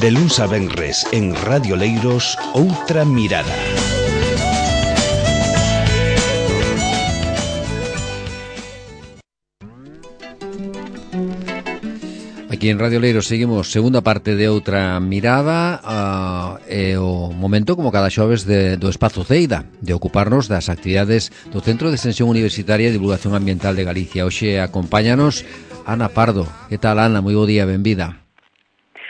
De luns a venres en Radio Leiros, Outra Mirada. Aquí en Radio Leiros seguimos segunda parte de Outra Mirada, e o momento, como cada xoves, do Espazo Ceida, de ocuparnos das actividades do Centro de Extensión Universitaria e Divulgación Ambiental de Galicia. Hoxe acompáñanos Ana Pardo. Que tal, Ana? Moi bo día, benvida.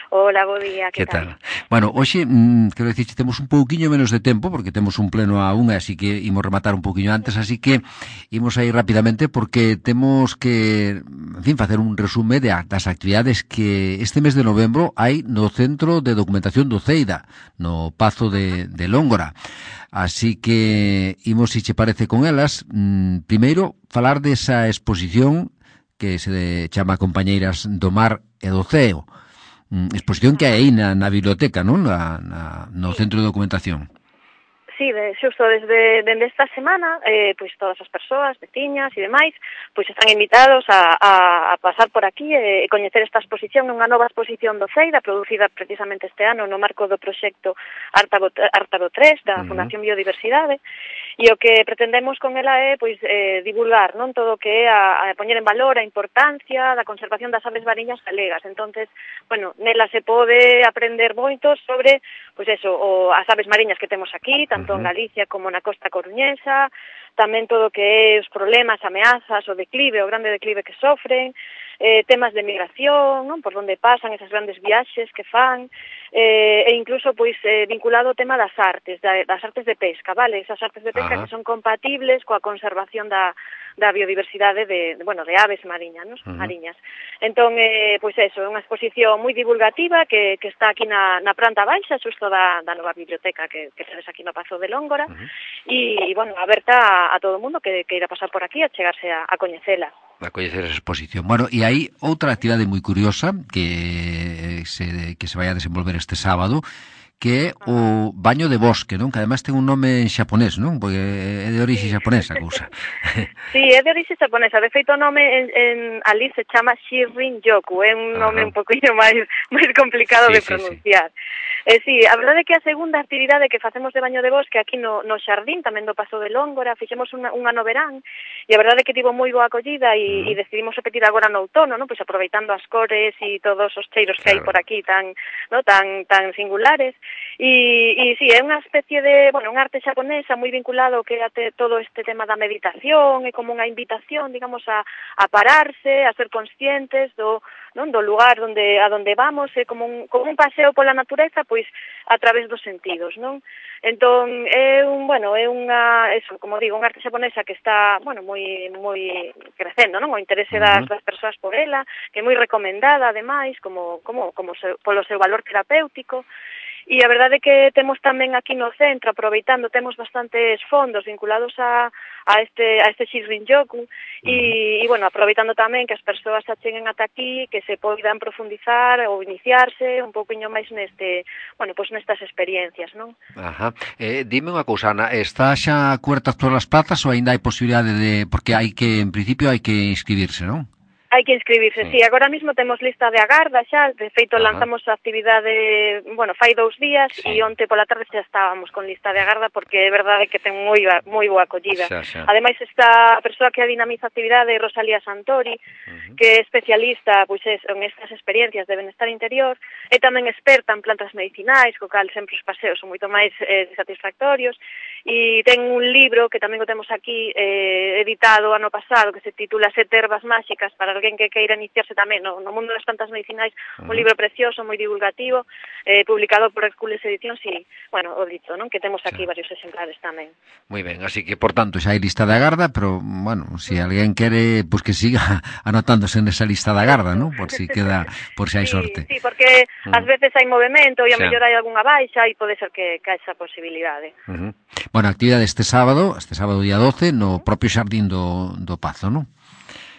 Hola, bo día, que tal? Bueno, hoxe, quero dicir, temos un pouquiño menos de tempo, porque temos un pleno a unha, así que imos rematar un pouquiño antes, así que imos aí rapidamente, porque temos que, en fin, facer un resume das actividades que este mes de novembro hai no Centro de Documentación do Ceida, no Pazo de Lóngora. Así que imos, se che parece, con elas. Primeiro, falar desa exposición que se chama Compañeiras do Mar e do Ceo. Exposición que hai aí na biblioteca, non? No Centro de Documentación. Sí, xusto desde esta semana, pois todas as persoas, veciñas e demais, pois están invitados a pasar por aquí e coñecer esta exposición, unha nova exposición do Ceida, producida precisamente este ano no marco do proxecto Ártaro 3 da Fundación Biodiversidade, e o que pretendemos con ela é pois divulgar, non, todo o que é a poñer en valor a importancia da conservación das aves mariñas galegas. Entonces, bueno, nela se pode aprender moito sobre, pois eso, as aves mariñas que temos aquí, tanto en Galicia como na costa coruñesa, tamén todo o que é os problemas, ameazas, o declive, o grande declive que sofren, temas de migración, non, por onde pasan esas grandes viaxes que fan, e incluso pois vinculado ao tema das artes de pesca, vale? Esas artes de pesca que son compatibles coa conservación da biodiversidade de aves mariñas, non? Mariñas. Entón, pois eso, é unha exposición moi divulgativa que está aquí na planta baixa, xusto da nova biblioteca que tenes aquí no Pazo de Lóngora, e, bueno, aberta a todo o mundo que irá pasar por aquí a chegarse a coñecela. A coñecer esa exposición. Bueno, e hai outra actividade moi curiosa que se vai a desenvolver este sábado, que é o baño de bosque, non? Que ademais ten un nome en xaponés, non? Porque é de orixe xaponesa a cousa. Sí, é de orixe xaponesa. De feito, o nome en ali se chama Shinrin-yoku. É un nome un poquinho máis complicado de pronunciar. Sí, a verdade é que a segunda actividade que facemos de baño de bosque aquí no xardín, tamén do Pazo de Lóngora, fixemos un ano verán, e a verdade é que tivo moi boa acollida e decidimos repetir agora no outono, non? Pois aproveitando as cores e todos os cheiros que hai por aquí tan singulares. E sí, é unha especie de, bueno, unha arte xaponesa moi vinculado que a todo este tema da meditación, é como unha invitación, digamos, a pararse, a ser conscientes do lugar a donde vamos, é como un paseo pola natureza, pois a través dos sentidos, non? Entón, é unha, eso, como digo, unha arte xaponesa que está, bueno, moi crecendo, non? O interese das persoas por ela, que é moi recomendada, ademais, polo seu valor terapéutico. E a verdade é que temos tamén aquí no centro, aproveitando, temos bastantes fondos vinculados a este Shinrin-yoku e, bueno, aproveitando tamén que as persoas se acheguen ata aquí, que se poidan profundizar ou iniciarse un pouquiño máis nestas experiencias, non? Dime unha cousa, Ana, está xa cubertas todas as plazas ou ainda hai posibilidade de... Porque en principio hai que inscribirse, non? Hai que inscribirse, sí. Agora mesmo temos lista de agarda xa, de feito lanzamos a actividade, bueno, fai 2 días e onte pola tarde xa estábamos con lista de agarda porque é verdade que ten moi boa acollida. Ademais, esta persoa que dinamiza a actividade é Rosalía Santori, que é especialista pois en estas experiencias de benestar interior, e tamén experta en plantas medicinais, co cal sempre os paseos son moito máis satisfactorios, e ten un libro que tamén o temos aquí editado ano pasado que se titula 7 ervas máxicas para alguén que queira iniciarse tamén no mundo das plantas medicinais, un libro precioso, moi divulgativo, publicado por Hercules Edicións e, bueno, o dito, non? Que temos aquí varios exemplares tamén. Moi ben, así que, por tanto, xa hai lista de agarda, pero, bueno, se alguén quere, pois que siga anotándose nesa lista de agarda, non? Por si hai sorte. Sí, porque ás veces hai movimento e a mellor hai algunha baixa e pode ser que esa posibilidade. Bueno, actividade este sábado día 12, no propio xardín do Pazo, non?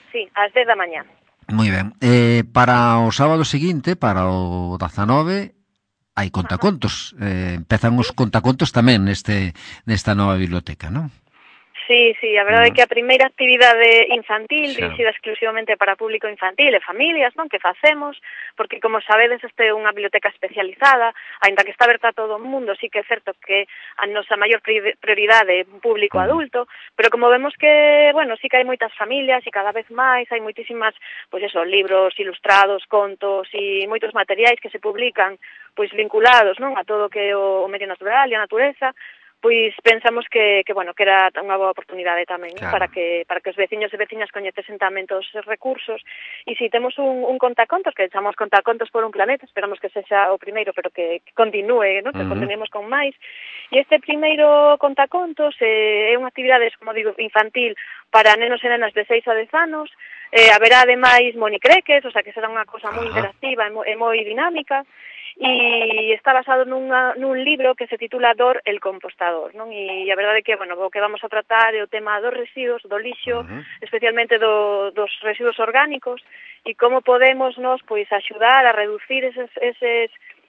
Sí, ás 10 da mañá. Moi ben. Para o sábado seguinte, para o 19, hai contacontos. Empezan os contacontos tamén nesta nova biblioteca, non? Sí, a verdade é que a primeira actividade infantil, dirixida exclusivamente para público infantil e familias, non, que facemos, porque como sabedes este é unha biblioteca especializada, aínda que está aberta a todo o mundo, sí que é certo que a nosa maior prioridade é un público adulto, pero como vemos que, bueno, sí que hai moitas familias e cada vez máis hai moitísimas, pois eso, libros ilustrados, contos e moitos materiais que se publican, pois vinculados, non, a todo o que é o medio natural e a natureza, pois pensamos que bueno, que era unha boa oportunidade tamén, claro, para que os veciños e veciñas coñecesen tamén todos os recursos. E si temos un contacontos, que chamamos Contacontos por un planeta, esperamos que sexa o primeiro, pero que continúe, ¿no? Que continuemos con máis. E este primeiro contacontos é unha actividade, como digo, infantil para nenos e nenas de 6 a 10 anos. Haberá ademais monicreques, o sea que será unha cosa moi interactiva e moi dinámica. E está basado nun libro que se titula Dor el compostador, non? E a verdade é que, bueno, o que vamos a tratar é o tema dos residuos, do lixo, especialmente dos residuos orgánicos, e como podemos nos, pois, axudar a reducir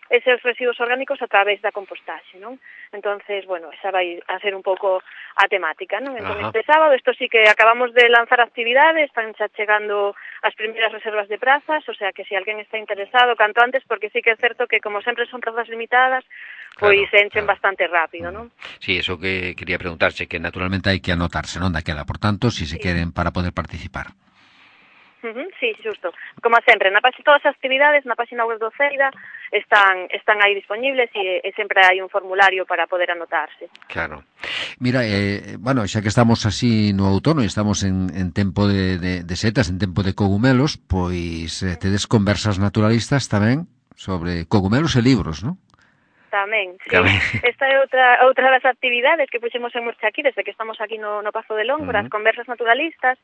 eses residuos orgánicos a través da compostaxe, non? Entonces, bueno, esa vai a ser un pouco a temática, non? Entón, este sábado, isto sí que acabamos de lanzar actividades, están xa chegando as primeiras reservas de prazas, o sea que se alguén está interesado, canto antes, porque sí que é certo que, como sempre son prazas limitadas, pois se enchen bastante rápido, non? Sí, eso que quería preguntarse, que naturalmente hai que anotarse, non, daquela, por tanto, si se queren para poder participar. Sí, xusto. Como sempre, todas as actividades na página web do CEIDA están aí disponibles e sempre hai un formulario para poder anotarse. Claro. Mira, bueno, xa que estamos así no outono e estamos en tempo de setas, en tempo de cogumelos, pois tedes conversas naturalistas tamén sobre cogumelos e libros, non? Tamén, sí. Esta é outra das actividades que puxemos en marcha aquí desde que estamos aquí no Pazo de Lóngora, as conversas naturalistas.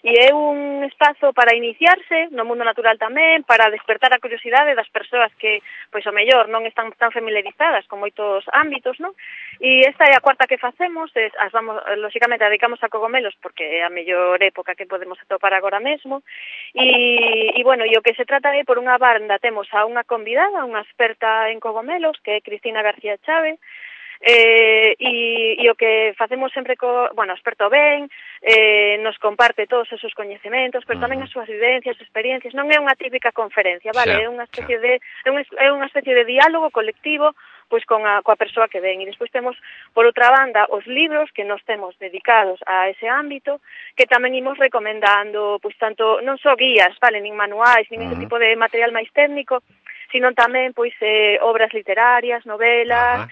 E é un espazo para iniciarse no mundo natural tamén, para despertar a curiosidade das persoas que, pois, o mellor non están tan familiarizadas con moitos ámbitos, non? E esta é a cuarta que facemos, lóxicamente, dedicamos a cogomelos, porque é a mellor época que podemos atopar agora mesmo, e bueno, e o que se trata é, por unha banda, temos a unha convidada, unha experta en cogomelos, que é Cristina García Chávez, e o que facemos sempre experto ben, nos comparte todos os seus coñecementos, pero tamén as súas vivencias, experiencias. Non é unha típica conferencia, vale? É unha especie de diálogo colectivo pois coa persoa que ven. E despois temos, por outra banda, os libros que nos temos dedicados a ese ámbito, que tamén imos recomendando, pois tanto, non só guías, vale, nin manuais, nin ese tipo de material máis técnico, sino tamén pois obras literarias, novelas,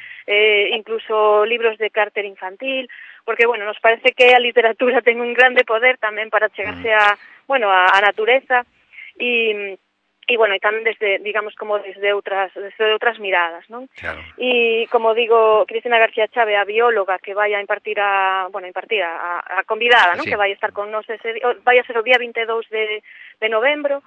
incluso libros de carácter infantil, porque, bueno, nos parece que a literatura ten un grande poder tamén para chegarse a natureza e bueno, e tamén desde, digamos, como desde outras miradas, non? Claro. E, como digo, Cristina García Chávez, a bióloga que vai a impartir a convidada, non? Sí. Que vai a estar con nós vai a ser o día 22 de novembro.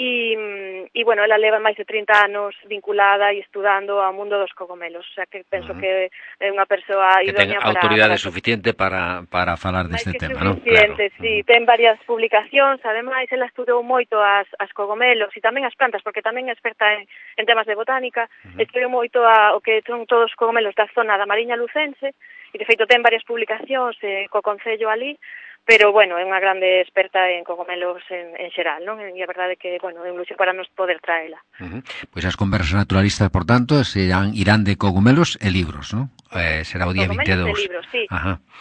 E bueno, ela leva máis de 30 anos vinculada e estudando ao mundo dos cogomelos, o sea que penso que é unha persoa idónea para... Que ten autoridade suficiente para falar deste tema, non? Suficiente, claro. Sí, ten varias publicacións, ademais, ela estudou moito as cogomelos e tamén as plantas, porque tamén é experta en temas de botánica, estudou moito o que son todos os cogomelos da zona da Mariña Lucense, e de feito ten varias publicacións co Concello ali, pero, bueno, é unha grande experta en cogomelos en xeral, non? E a verdade é que, bueno, é un luxo para nos poder traela. Pois as conversas naturalistas, por tanto, irán de cogomelos e libros, non? Será o día 22. Cogomelos e libros, sí.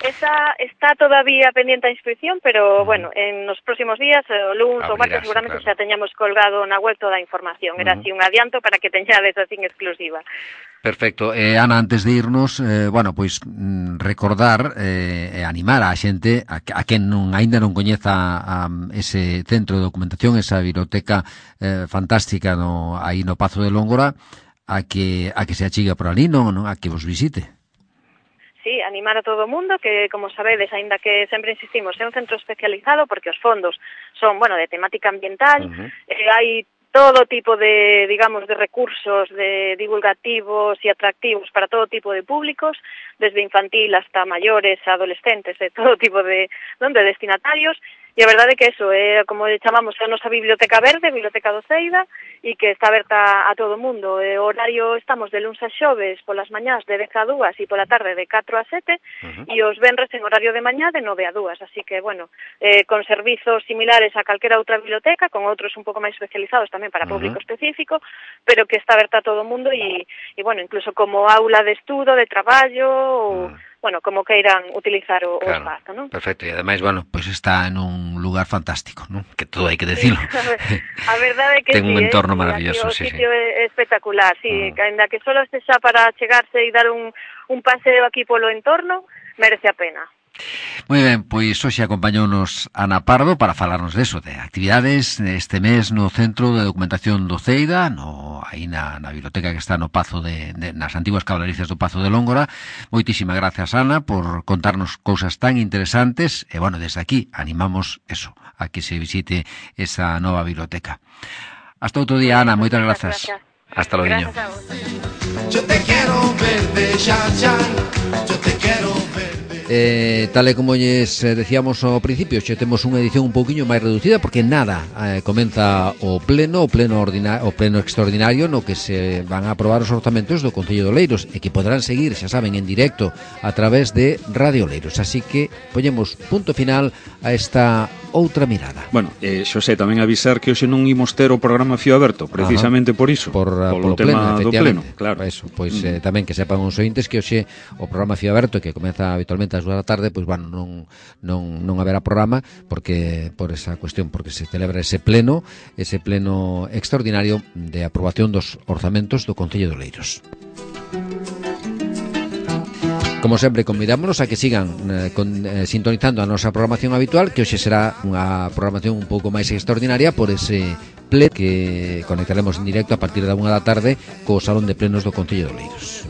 Esa está todavía pendiente a inscripción, pero, bueno, en nos próximos días, o lunes ou martes, seguramente xa teñamos colgado na web toda a información. Era así un adianto para que teñades así en exclusiva. Perfecto. Ana, antes de irnos, bueno, pois recordar e animar a xente a quen aínda non coñeza ese centro de documentación, esa biblioteca fantástica aí no Pazo de Lóngora, a que se achiga por ali, non, a que vos visite. Sí, animar a todo o mundo, que, como sabedes, aínda que sempre insistimos, é un centro especializado porque os fondos son, bueno, de temática ambiental, hai todo tipo de, digamos, de recursos de divulgativos e atractivos para todo tipo de públicos, desde infantil hasta maiores, adolescentes, de todo tipo de destinatarios, e a verdade é que eso é, como chamamos, a nosa biblioteca verde, Biblioteca do CEIDA, e que está aberta a todo o mundo. O horario estamos de luns a xoves polas mañás de 10 a 2 e pola tarde de 4 a 7 e os venres en horario de mañá de 9 a 2, así que, bueno, con servizos similares a calquera outra biblioteca, con outros un pouco máis especializados tamén para público específico, pero que está aberta a todo o mundo e bueno, incluso como aula de estudo, de traballo, ou bueno, como queiran utilizar o espazo, ¿no? Perfecto, e ademais, bueno, pois está en un lugar fantástico, ¿no? Que todo hai que decirlo. A verdade é que ten un entorno maravilloso, o sitio é espectacular, que ainda que solo este xa para chegarse e dar un paseo aquí polo entorno, merece a pena. Moi ben, pois hoxe acompañounos Ana Pardo para falarnos deso, de actividades este mes no Centro de Documentación do Ceida, aí na biblioteca que está no Pazo nas antiguas caballerizas do Pazo de Lóngora. Moitísimas gracias, Ana, por contarnos cousas tan interesantes, e, bueno, desde aquí animamos eso, a que se visite esa nova biblioteca. Hasta outro día, Ana, moitas grazas. Hasta logo. Yo te quiero ver de Xan, yo te quiero ver. Tal e como lles decíamos ao principio, xe temos unha edición un pouquiño máis reducida porque nada, comeza o pleno extraordinario no que se van a aprobar os orzamentos do Concello de Oleiros e que poderán seguir, xa saben, en directo a través de Radio Oleiros, así que poñemos punto final a esta outra mirada. Bueno, Xosé, tamén avisar que hoxe non imos ter o programa Fío Aberto, precisamente por iso, polo tema do pleno, claro. Eso, pois tamén que sepan os ointes que hoxe o programa Fío Aberto, que comeza habitualmente ás 2 da tarde, pois bueno, non haberá programa porque por esa cuestión, porque se celebra ese pleno extraordinario de aprobación dos orzamentos do Concello de Oleiros. Como sempre, convidámonos a que sigan sintonizando a nosa programación habitual, que hoxe será unha programación un pouco máis extraordinaria por ese pleno que conectaremos en directo a partir da 1 da tarde co Salón de Plenos do Concello de Oleiros.